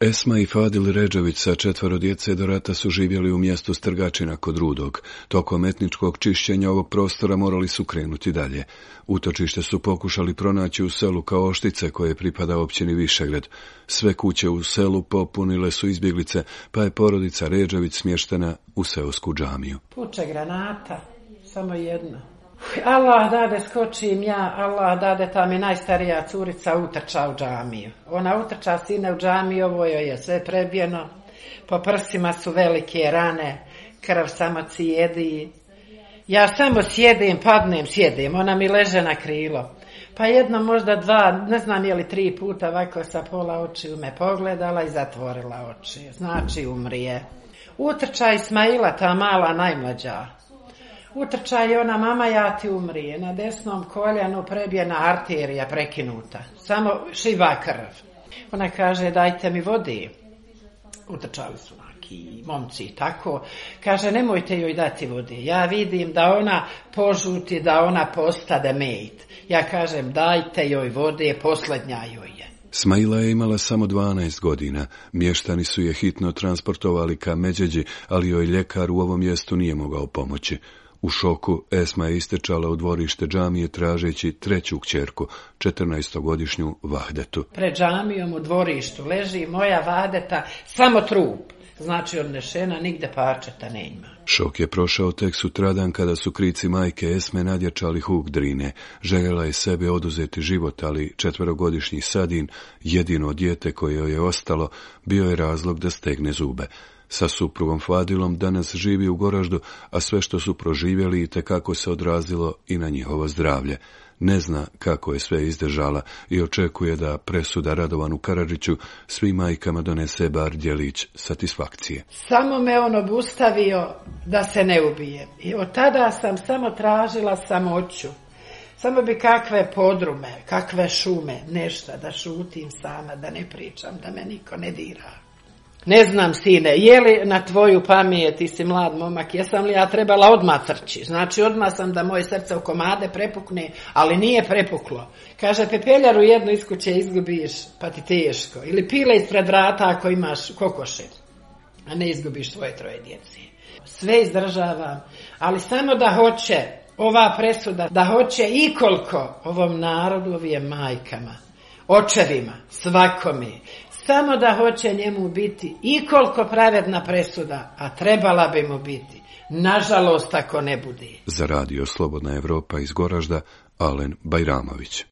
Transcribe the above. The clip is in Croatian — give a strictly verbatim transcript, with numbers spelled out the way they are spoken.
Esma i Fadil Redžević sa četvoro djece do rata su živjeli u mjestu Strgačina kod Rudog. Tokom etničkog čišćenja ovog prostora morali su krenuti dalje. Utočište su pokušali pronaći u selu Kaoštice koje pripada općini Višegrad. Sve kuće u selu popunile su izbjeglice, pa je porodica Redžević smještena u seosku džamiju. Puče granata, samo jedna. Allah dade skočim ja, Allah dade ta mi najstarija curica utrča u džamiju. Ona utrča sine u džamiju, ovo joj je sve prebijeno, po prsima su velike rane, krv samo cijedi. Ja samo sjedim, padnem, sjedim, ona mi leže na krilo. Pa jedno, možda dva, ne znam je li tri puta ovako sa pola očiju me pogledala i zatvorila oči. Znači umrije. Utrča Ismaila, ta mala najmlađa. Utrča je ona, mama ja ti umrije, na desnom koljenu prebijena arterija prekinuta, samo šiva krv. Ona kaže dajte mi vodi. Utrčali su neki momci i tako. Kaže nemojte joj dati vodi, ja vidim da ona požuti, da ona postade mejt. Ja kažem dajte joj vode, posljednja joj je. Smaila je imala samo dvanaest godina. Mještani su je hitno transportovali ka Međeđi, ali joj ljekar u ovom mjestu nije mogao pomoći. U šoku Esma je istrčala u dvorište džamije tražeći treću kćerku, četrnaestogodišnju Vahdetu. Pred džamijom u dvorištu leži moja Vahdeta, samo trup. Znači odnešena, nigde parčeta ne ima. Šok je prošao tek sutradan kada su krici majke Esme nadjačali huk Drine. Željela je sebe oduzeti život, ali četverogodišnji Sadin, jedino dijete koje joj je ostalo, bio je razlog da stegne zube. Sa suprugom Fadilom danas živi u Goraždu, a sve što su proživjeli itekako se odrazilo i na njihovo zdravlje. Ne zna kako je sve izdržala i očekuje da presuda Radovanu Karadžiću svim majkama donese bar djelić satisfakcije. Samo me on obustavio da se ne ubijem. I od tada sam samo tražila samoću. Samo bi kakve podrume, kakve šume, nešto da šutim sama, da ne pričam, da me niko ne dira. Ne znam, sine, je li na tvoju pamet, ti si mlad momak, jesam li ja trebala odmah trči? Znači, odmah sam da moje srce u komade prepukne, ali nije prepuklo. Kaže, pepeljaru jednu iz kuće izgubiš, pa ti teško. Ili pile ispred vrata ako imaš kokoše, a ne izgubiš svoje troje djece. Sve izdržavam, ali samo da hoće ova presuda, da hoće i koliko ovom narodu, ovim majkama, očevima, svakome, samo da hoće njemu biti i koliko pravedna presuda, a trebala bi mu biti. Nažalost, ako ne bude. Za radio Slobodna Evropa iz Goražda, Alen Bajramović.